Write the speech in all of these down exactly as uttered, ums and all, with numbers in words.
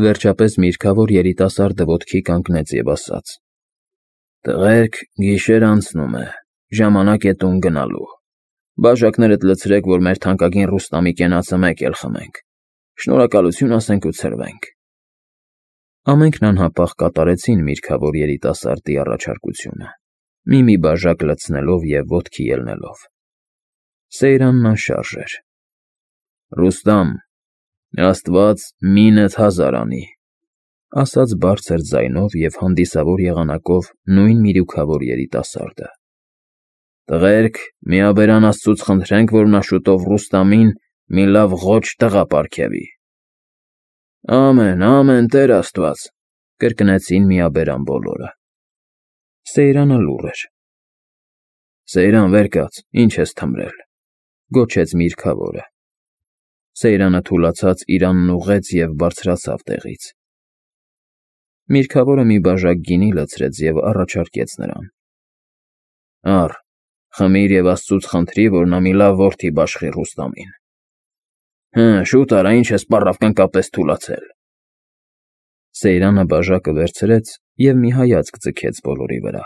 Վերջապես միրգավոր երիտասարդը ոտքի կանգնեց և ասաց. «Տղերք, գիշեր անցնում է, ժամանակ է տուն գնալու։ Բաժակներդ լցրեք, որ մեր թանկագին Ռուստամի կենացը մեկ էլ խմենք, շնորհակալություն ասենք ու ցրվենք»։ Ամենքն անհապաղ կատարեցին միրգավոր երիտասարդի առաջարկությունը, մի-մի բաժակ լցնելով և ոտքի ելնելով։ Սեյրանն անշարժ էր։ «Ռուստամ, Աստված մինդ հազար անի», ասաց բարձր ձայնով և հանդիսավոր եղանակով նույն միրուքավոր երիտասարդը։ «Տղերք, միաբերան Աստծուց խնդրենք, որ նա շուտով Ռուստամին մի լավ ղոչ տղա պարգևի»։ «Ամեն, ամեն, Տեր Աստված», կրկնեցին միաբերան բոլորը։ Սեյրանը լուռ էր։ «Սեյրան, վեր կաց, ինչ ես թմրել», գոչեց միրգավորը։ Սեյրանը թուլացած իրանն ուղղեց և բարձրացավ տեղից։ Միրգավորը մի բաժակ գինի լցրեց և առաջարկեց նրան. «Առ, խմիր և Աստծուց խնդրիր, որ նա մի լավ որդի բաշխի Ռուստամին»։ «Հը, շուտ արա, ինչ ես պառավկան պես թուլացել»։ Սեյրանը բաժակը վերցրեց և մի հայացք ձգեց բոլորի վրա։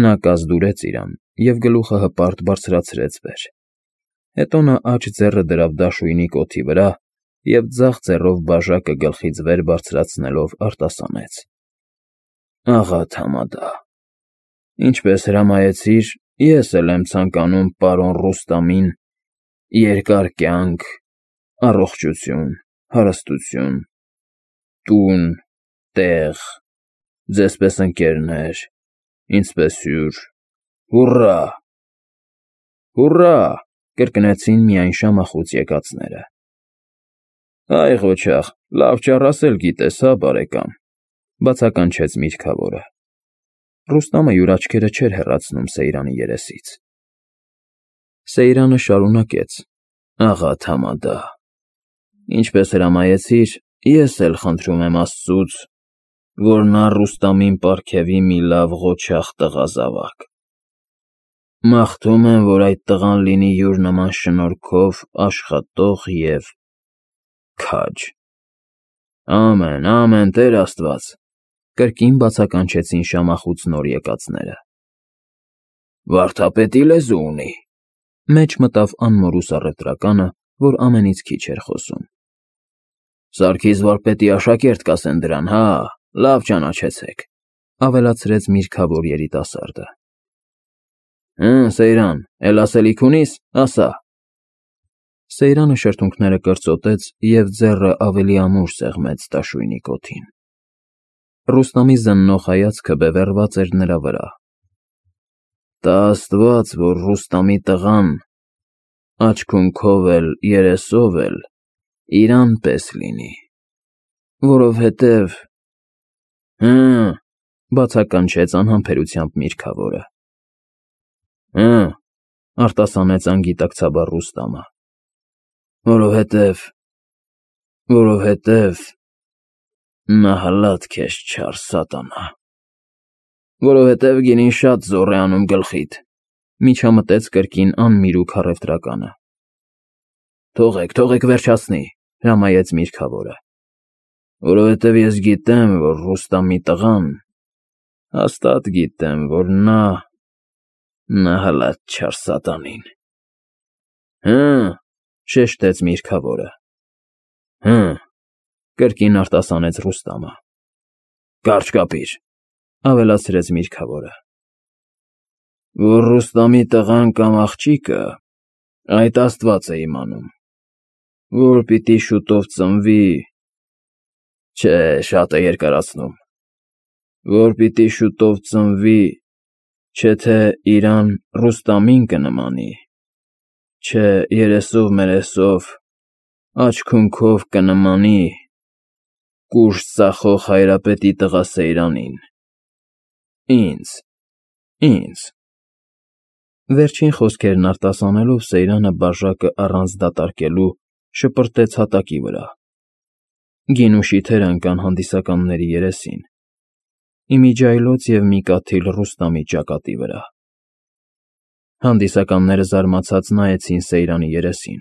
Նա կազդուրեց իրան և գլուխը հպարտ բարձրացրեց վեր։ Հետո նա աջ ձեռը դրավ դաշույնի կոթի վրա և ձախ ձեռով բաժակը գլխից վեր բարձրացնելով արտասանեց. «Աղա Թամադա, ինչպես հրամայեցիր, ես էլ եմ ցանկանում պարոն Ռուստամին երկար կյանք, առողջություն, հարստություն, տուն, տեղ, ձեզ պես ընկերներ, ինձ պես հյուր, հուռա»։ «Հուռա», կրկնեցին միայն շամախուց եկածները։ «Այ ղոչաղ, լավ ճառ ասել գիտես, հա, բարեկամ», բացականչեց միրգավորը։ Ռուստամը յուր աչքերը չէր հեռացնում Սեյրանի երեսից։ Սեյրանը շարունակեց. «Աղա Թամադա, ինչպես հրամայեցիր, ես էլ խնդրում եմ Աստծուց, որ նա Ռուստամին պարգևի մի լավ ղոչաղ տղա զավակ։ Մաղթում եմ, որ այդ տղան լինի յուր նման շնորհքով աշխատող և քաջ»։ «Ամեն, ամեն, Տեր Աստված», կրկին բացականչեցին շամախուց նոր եկածները։ «Վարդապետի լեզու ունի», մեջ մտավ անմորուս առևտրականը, որ ամենից քիչ էր խոսում։ «Սարգիս վարպետի աշակերտ կասեն դրան, հա, լավ ճանաչեցեք», ավելացրեց միրգավոր երիտասարդը։ «Հը, Սեյրան, էլ ասելիք ունի՞ս, ասա»։ Սեյրանը շրթունքները կրծոտեց և ձեռը ավելի ամուր սեղմեց դաշույնի կոթին։ Ռուստամի զննող հայացքը բևեռված էր նրա վրա։ «Տա Աստված, որ Ռուստամի տղան աջ քունքով էլ, երեսով էլ իրան պես լինի, որովհետև…»։ «Հը», բացականչեց անհամբերությամբ միրգավորը։ «Հը», արտասանեց անգիտակցաբար Ռուստամը, որովհետև… որովհետև… նահլատ քեզ չար սատանա… որովհետև գինին շատ զոռ է անում գլխիդ», միջամտեց կրկին անմիրուք առևտրականը։ «Թողեք, թողեք վերջացնի», հրամայեց միրգավորը, «որովհետև ես գիտեմ, որ Ռուստամի տղան… հաստատ գիտեմ, որ նա… նահլատ չար սատանին»։ «Հը», շեշտեց միրգավորը։ «Հը», կրկին արտասանեց Ռուստամը։ «Կարճ կապիր», ավելացրեց միրգավորը։ «Որ Ռուստամի տղան կամ աղջիկը, այդ Աստված է իմանում, որ պիտի շուտով ծնվի… Չէ, շատ է երկարացնում… որ պիտի շուտով ծնվի, չէ թե իրան Ռուստամին կնմանի, չէ երեսով֊մերեսով, աջ քունքով կնմանի կուշտ ծախող Հայրապետի տղա Սեյրանին… ինձ… ինձ…»։ Վերջին խոսքերն արտասանելով Սեյրանը բաժակը առանց դատարկելու շպրտեց հատակի վրա։ Գինու շիթերը ընկան հանդիսականների երեսին, ի միջիայլոց և մի կաթիլ Ռուստամի ճակատի վրա։ Հանդիսականները զարմացած նայեցին Սեյրանի երեսին։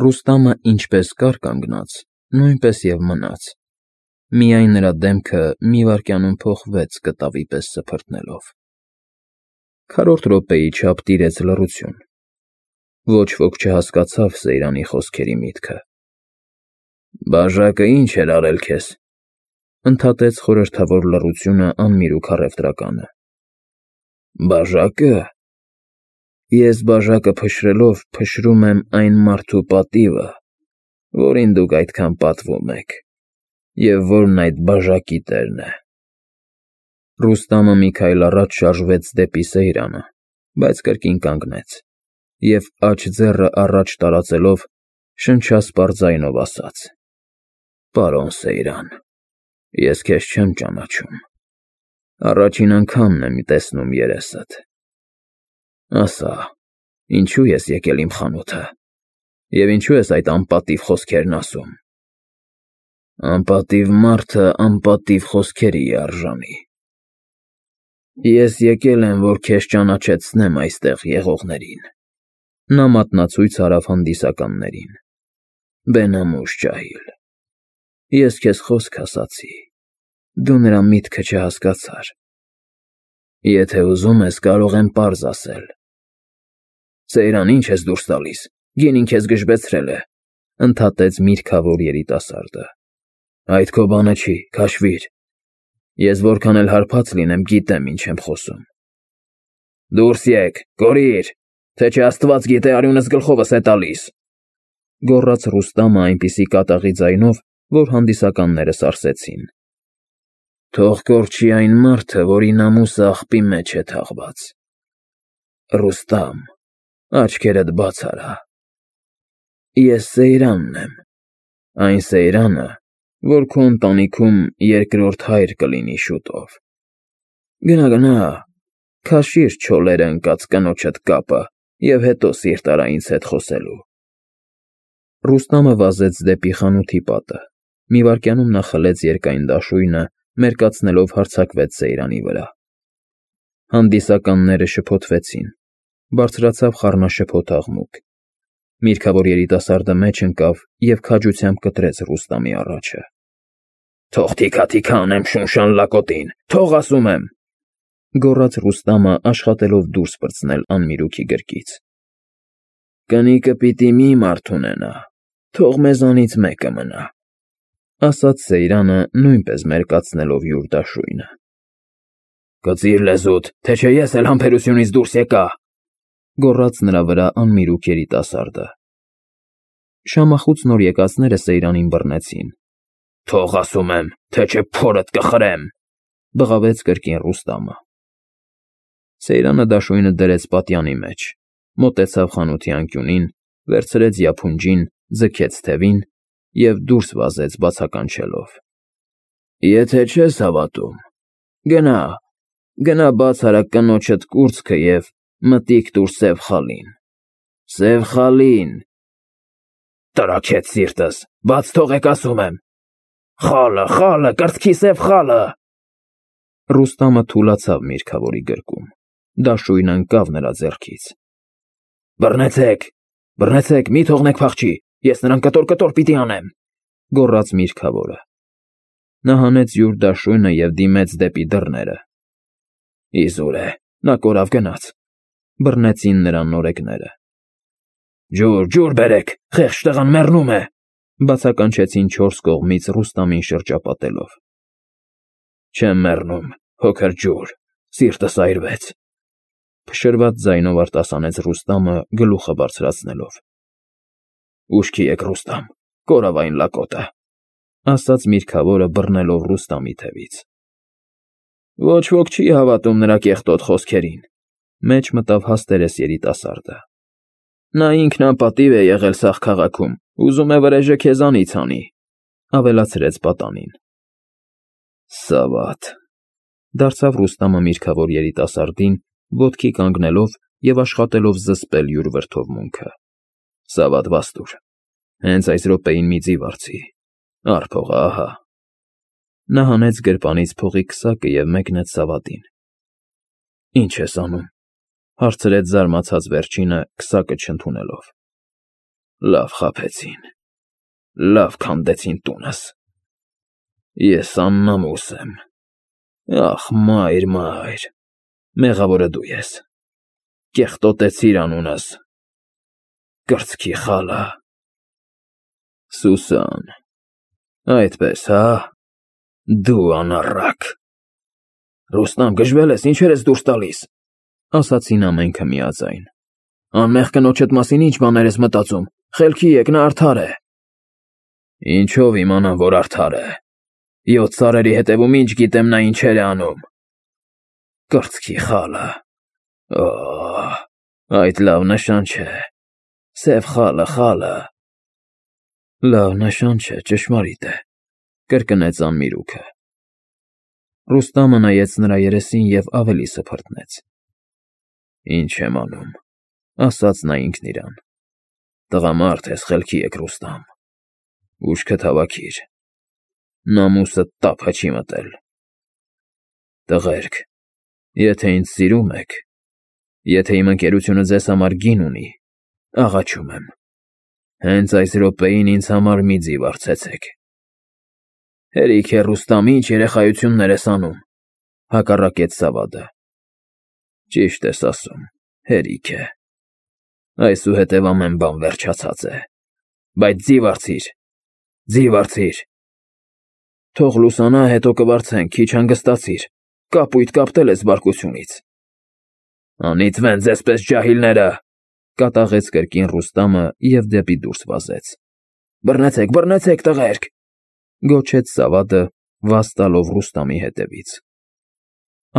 Ռուստամը ինչպես կար կանգնած, նույնպես և մնաց, միայն նրա դեմքը մի վայրկյանում փոխվեց կտավի պես սփռտնելով։ Քառորդ րոպեի չափ տիրեց լռություն։ Ոչ ոք չհասկացավ Սեյրանի խոսքերի միտքը։ «Բաժակը ի՞նչ էր արել քեզ», ընդհատեց խորհրդավոր լռությունը անմիր ու քառեվտրականը։ «Բաժակը… Ես բաժակը փշրելով փշրում եմ այն մարդու պատիվը, որին դուք այդքան պատվում եք, և որն այդ բաժակի տերն է»։ Ռուստամը մի քայլ առաջ շարժվեց դեպի Սեյրանը, բայց կրկին կանգնեց և, աջ ձեռը առաջ տարածելով, շնչասպառ ձայնով ասաց. «Պարոն Սեյրան, ես քեզ չեմ ճանաչում, առաջին անգամն եմ տեսնում երեսդ։ Ասա, ինչո՞ւ ես եկել իմ խանութը, և ինչո՞ւ ես այդ անպատիվ խոսքերն ասում։ Անպատիվ մարդը անպատիվ խոսքերի է արժանի։ Ես եկել եմ, որ քեզ ճանաչեցնեմ այստեղ եղողներին»։ Նա մատնացույց արավ հանդիսականներին։ «Բենամուշ ջահիլ, ես քեզ խոսք ասացի, դու նրա միտքը չհասկացար։ Եթե ուզում ես, կարող եմ պարզ ասել»։ «Սեյրան, ի՞նչ ես դուրս տալիս, գինին քեզ գժվեցրել է», ընդհատեց միրգավոր երիտասարդը։ «Այդ քո բանը չի, քաշվիր։ Ես որքան էլ հարբած լինեմ, գիտեմ ինչ եմ խոսում»։ «Դուրս եկ, կորիր, թե չէ աստված գիտե արյունս գլխովս է տալիս», գոռաց Ռուստամը այնպիսի կատաղի ձայնով, որ հանդիսականները սարսեցին։ «Թող կորչի այն մարդը, որի նամուսը աղբի մեջ է թաղված։ Ռուստամ, աչքերդ բաց արա։ Ես Սեյրանն եմ, այն Սեյրանը, որ քո ընտանիքում երկրորդ հայր կլինի շուտով։ Գնա, գնա, քաշիր չոլերը ընկած կնոջդ կապը և հետո սիրտ արա ինձ հետ խոսելու»։ Ռուստամը վազեց դեպի խանութի պատը։ Մի վայրկյանում նա խլեց երկայն դաշույնը, մերկացնելով հարձակվեց Սեյրանի վրա։ Հանդիսականները շփոթվեցին, բարձրացավ խառնաշփոթ աղմուկ։ Միրգավոր երիտասարդը մեջ ընկավ և քաջությամբ կտրեց Ռուստամի առաջը։ «Թող թիքա֊թիքա անեմ շունշան լակոտին, թող ասում եմ», գոռաց Ռուստամը, աշխատելով դուրս պրծնել անմիրուքի գրկից։ «Կնիկը պիտի մի մարդ ունենա, թող մեզանից մեկը մնա», ասաց Սեյրանը, նույնպես մերկացնելով յուր դաշույնը։ «Կծիր լեզուդ, թե չէ ես էլ համբերությունից դուրս եկա», գոռաց նրա վրա անմիրուք երիտասարդը։ Շամախուց նոր եկածները Սեյրանին բռնեցին։ «Թող ասում եմ, թե չէ փորդ կխրեմ», բղավեց կրկին Ռուստամը։ Սեյրանը դաշույնը դրեց պատյանի մեջ, մոտեցավ խանութի անկյունին, վերցրեց յափունջին, ձգեց թևին և դուրս վազեց բացականչելով։ «Եթե չես հավատում, գնա, գնա բաց արա կնոջդ կուրծքը և մտիկ տուր սև խալին, սև խալին… Տրաքեց սիրտս, բաց թողեք ասում եմ… Խալը, խալը, կրծքի սև խալը»։ Ռուստամը թուլացավ միրգավորի գրկում, դաշույնը ընկավ նրա ձեռքից։ «Բռնեցեք, բռնեցեք, մի թողնեք փախչի, ես նրան կտոր֊կտոր պիտի անեմ», գոռաց միրգավորը։ Նա հանեց յուր դաշույնը և դիմեց դեպի դռները։ «Իզուր է, նա կորավ գնաց», բռնեցին նրան նորեկները։ «Ջուր, ջուր բերեք, խեղճ տղան մեռնում է», բացականչեցին չորս կողմից Ռուստամին շրջապատելով։ «Չեմ մեռնում, փոքր ջուր, սիրտս այրվեց», փշրված ձայնով արտասանեց Ռուստամը, գլուխը բարձրացնելով։ «Ուշքի եք, Ռուստամ, կորավ այն լակոտը», ասաց միրգավորը, բռնելով Ռուստամի թևից։ «Ոչ ոք չի հավատում նրա կեղտոտ խոսքերին», մեջ մտավ հաստերես երիտասարդը։ «Նա ինքն անպատիվ է եղել սաղ քաղաքում, ուզում է վրեժը քեզանից հանի», ավելացրեց պատանին։ «Սավաթ», դարձավ Ռուստամը միրգավոր երիտասարդին, ոտքի կանգնելով և աշխատելով զսպել յուր վրդովմունքը։ «Սավաթ վաստուր, հենց այս րոպեին մի ձիվ արցի, առ փողը, ահա»։ Նա հանեց գրպանից փողի քսակը և մեկնեց Սավաթին։ «Ի՞նչ ես անում», հարցրեց զարմացած վերջինը, քսակը չընդունելով։ «Լավ խաբեցին, Լավ քանդեցին տունս։ Ես աննամուս եմ։ Ախ, մայր, մայր, մեղավորը դու ես։ Կեղտոտեցիր անունս։ Կրծքի խալը։ Սուսան, այդպես, հա՞։ Դու անառակ։ Ռուստամ, գժվել ես, ինչեր ես դուրս տալիս, ասացին ամենքը միաձայն։ Անմեղ կնոջդ մասին ինչ բաներ ես մտածում, խելքի եկ, նա արդար է։ Ինչով իմանամ, որ արդար է։ Յոթ սարերի հետևում ինչ գիտեմ նա ինչեր է անում։ Կրծքի խալը։ Օ՜, այդ լավ նշան չէ։ Սև խալը, խալը։ Լավ նշան չէ, ճշմարիտ է, կրկնեց անմիրուքը։ Ռուստամը նայեց նրա երեսին և ավելի սփռտնեց։ Ինչ եմ անում, ասաց նա ինքն իրան։ Տղամարդ ես, խելքի եկ, Ռուստամ։ Ուշքդ հավաքիր։ Նամուսդ տափը չի մտել։ Տղերք, եթե ինձ սիրում եք, եթե իմ ընկերությունը ձեզ համար գին ունի, աղաչում եմ, հենց այս րոպեին ինձ համար մի ձիվ արցեցեք։ Հերիք է, Ռուստամ, ինչ երեխայություններ ես անում, հակառակեց Սավադը։ Ճիշտ ես ասում, հերիք է։ Այսուհետև ամեն բան վերջացած է։ Բայց ձիվ արցիր, ձիվ արցիր։ Թող լուսանա, հետո կվարձենք, քիչ հանգստացիր, կապույտ կապտել ես բարկությունից։ Անիծվեն ձեզպես ջահիլները, կատաղեց կրկին Ռուստամը և դեպի դուրս վազեց։ Բռնեցեք, բռնեցեք, տղերք, գոչեց Սավադը, վազ տալով Ռուստամի հետևից։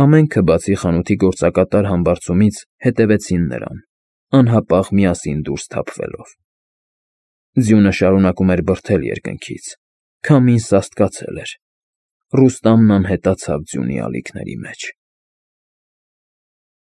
Ամենքը, բացի խանութի գործակատար համբարձումից, հետևեցին նրան, անհապաղ միասին դուրս թափվելով։ Ձյունը շարունակում էր բրդել երկնքից, քամին սաստկացել էր։ Ռուստամն անհետացավ ձյունի ալիքների մեջ։